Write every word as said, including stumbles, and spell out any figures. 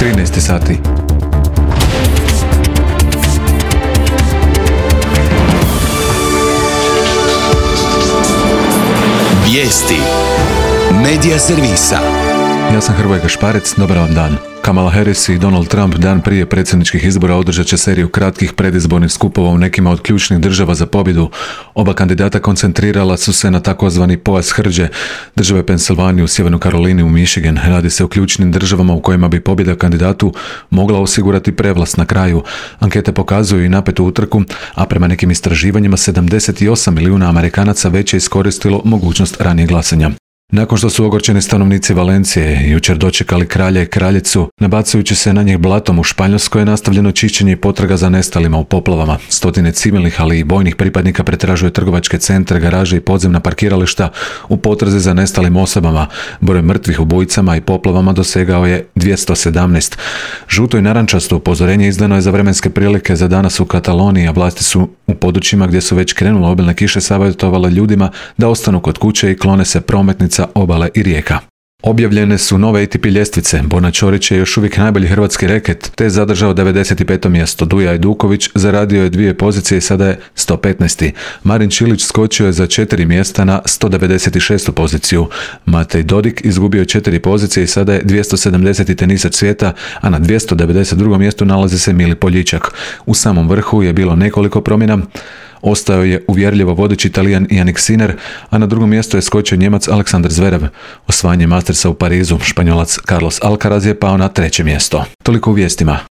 trinaest sati. Vijesti Medija servisa. Ja sam Hrvoje Gašparec, dobar vam dan. Kamala Harris i Donald Trump dan prije predsjedničkih izbora održat će seriju kratkih predizbornih skupova u nekima od ključnih država za pobjedu. Oba kandidata koncentrirala su se na takozvani pojas hrđe, države Pensilvaniju, Sjevernu Karolinu i Michigan. Radi se o ključnim državama u kojima bi pobjeda kandidatu mogla osigurati prevlast na kraju. Ankete pokazuju i napetu utrku, a prema nekim istraživanjima sedamdeset osam milijuna Amerikanaca već je iskoristilo mogućnost ranije glasanja. Nakon što su ogorčeni stanovnici Valencije jučer dočekali kralja i kraljicu, nabacujući se na njih blatom u Španjolskoj, je nastavljeno čišćenje i potraga za nestalima u poplavama. Stotine civilnih, ali i bojnih pripadnika pretražuje trgovačke centre, garaže i podzemna parkirališta u potrazi za nestalim osobama. Broj mrtvih ubojicama i poplavama dosegao je dvjesto sedamnaest. Žuto i narančasto upozorenje izdano je za vremenske prilike za danas u Kataloniji, a vlasti su u područjima gdje su već krenule obilne kiše savjetovale ljudima da ostanu kod kuće i klone se prometnica, obale i rijeka. Objavljene su nove A T P ljestvice. Borna Ćorić je još uvijek najbolji hrvatski reket, te je zadržao devedeset peto mjesto. Duja Ajduković zaradio je dvije pozicije i sada je sto petnaest. Marin Čilić skočio je za četiri mjesta na sto devedeset šestu poziciju. Matej Dodik izgubio je četiri pozicije i sada je dvjesto sedamdeseti tenisač svijeta, a na dvjesto devedeset drugom mjestu nalazi se Mili Poljičak. U samom vrhu je bilo nekoliko promjena. Ostao je uvjerljivo vodeći Talijan Jannik Sinner, a na drugom mjestu je skočio Njemac Aleksandar Zverev. Osvajanje Mastersa u Parizu, Španjolac Carlos Alcaraz je pao na treće mjesto. Toliko u vijestima.